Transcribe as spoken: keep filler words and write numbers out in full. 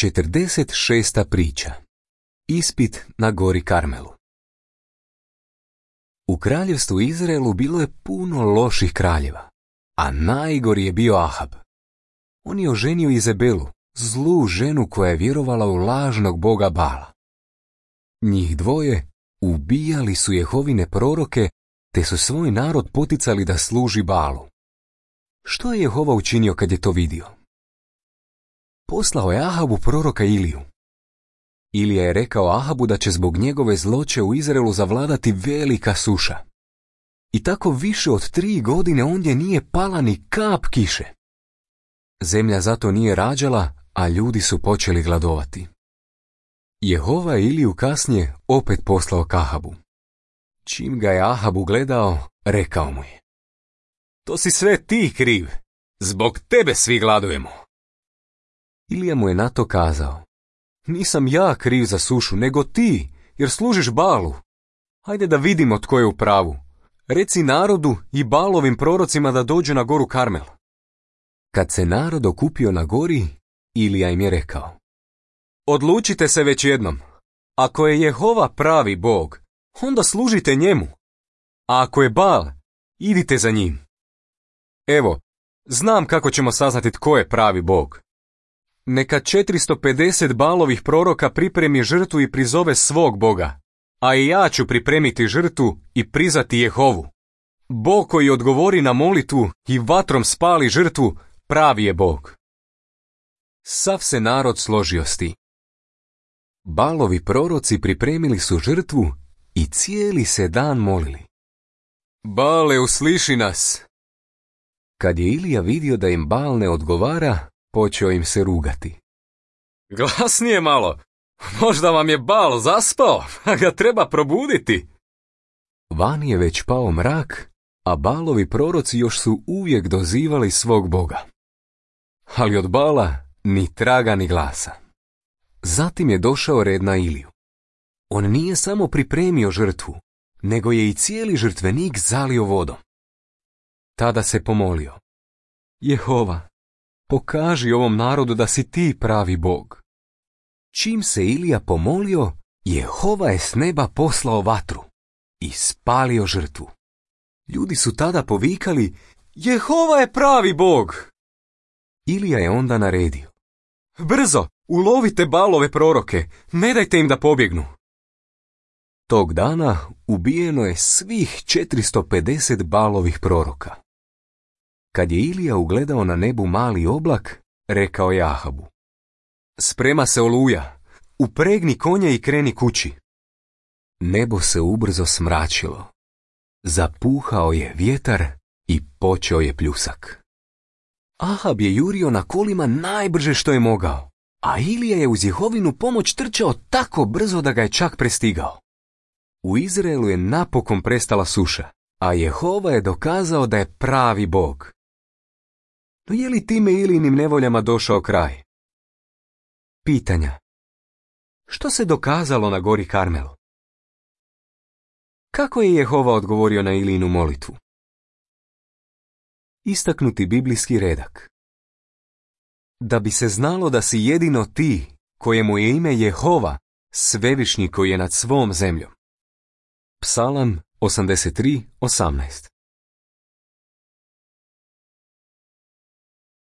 četrdeset šesta priča. Ispit na gori Karmelu. U kraljevstvu Izraelu bilo je puno loših kraljeva, a najgori je bio Ahab. On je oženio Izabelu, zlu ženu koja je vjerovala u lažnog boga Bala. Njih dvoje ubijali su Jehovine proroke, te su svoj narod poticali da služi Balu. Što je Jehova učinio kad je to vidio? Poslao je Ahabu proroka Iliju. Ilija je rekao Ahabu da će zbog njegove zloće u Izraelu zavladati velika suša. I tako više od tri godine ondje nije pala ni kap kiše. Zemlja zato nije rađala, a ljudi su počeli gladovati. Jehova je Iliju kasnije opet poslao k Ahabu. Čim ga je Ahab ugledao, rekao mu je: To si sve ti kriv, zbog tebe svi gladujemo. Ilija mu je na to kazao: Nisam ja kriv za sušu, nego ti, jer služiš Balu. Hajde da vidimo tko je u pravu. Reci narodu i Balovim prorocima da dođu na goru Karmel. Kad se narod okupio na gori, Ilija im je rekao: Odlučite se već jednom. Ako je Jehova pravi Bog, onda služite njemu. A ako je Bal, idite za njim. Evo, znam kako ćemo saznati tko je pravi Bog. Neka četiristo pedeset Balovih proroka pripremi žrtvu i prizove svog Boga, a i ja ću pripremiti žrtvu i prizvati Jehovu. Bog koji odgovori na molitvu i vatrom spali žrtvu, pravi je Bog. Sav se narod složio s tim. Balovi proroci pripremili su žrtvu i cijeli se dan molili: Bale, usliši nas! Kad je Ilija vidio da im Bal ne odgovara, počeo im se rugati. Glasnije malo, možda vam je Bal zaspao, a ga treba probuditi. Van je već pao mrak, a Balovi proroci još su uvijek dozivali svog Boga. Ali od Bala ni traga ni glasa. Zatim je došao red na Iliju. On nije samo pripremio žrtvu, nego je i cijeli žrtvenik zalio vodom. Tada se pomolio: Jehova, pokaži ovom narodu da si ti pravi Bog. Čim se Ilija pomolio, Jehova je s neba poslao vatru i spalio žrtvu. Ljudi su tada povikali: Jehova je pravi Bog! Ilija je onda naredio: Brzo, ulovite Balove proroke, ne dajte im da pobjegnu. Tog dana ubijeno je svih četiristo pedeset Balovih proroka. Kad je Ilija ugledao na nebu mali oblak, rekao je Ahabu: Sprema se oluja, upregni konje i kreni kući. Nebo se ubrzo smračilo. Zapuhao je vjetar i počeo je pljusak. Ahab je jurio na kolima najbrže što je mogao, a Ilija je uz Jehovinu pomoć trčao tako brzo da ga je čak prestigao. U Izraelu je napokon prestala suša, a Jehova je dokazao da je pravi Bog. No je li time Ilijinim nevoljama došao kraj? Pitanja. Što se dokazalo na gori Karmelu? Kako je Jehova odgovorio na Ilijinu molitvu? Istaknuti biblijski redak. Da bi se znalo da si jedino ti, kojemu je ime Jehova, svevišnji koji je nad svom zemljom. Psalam osamdeset tri, osamnaest.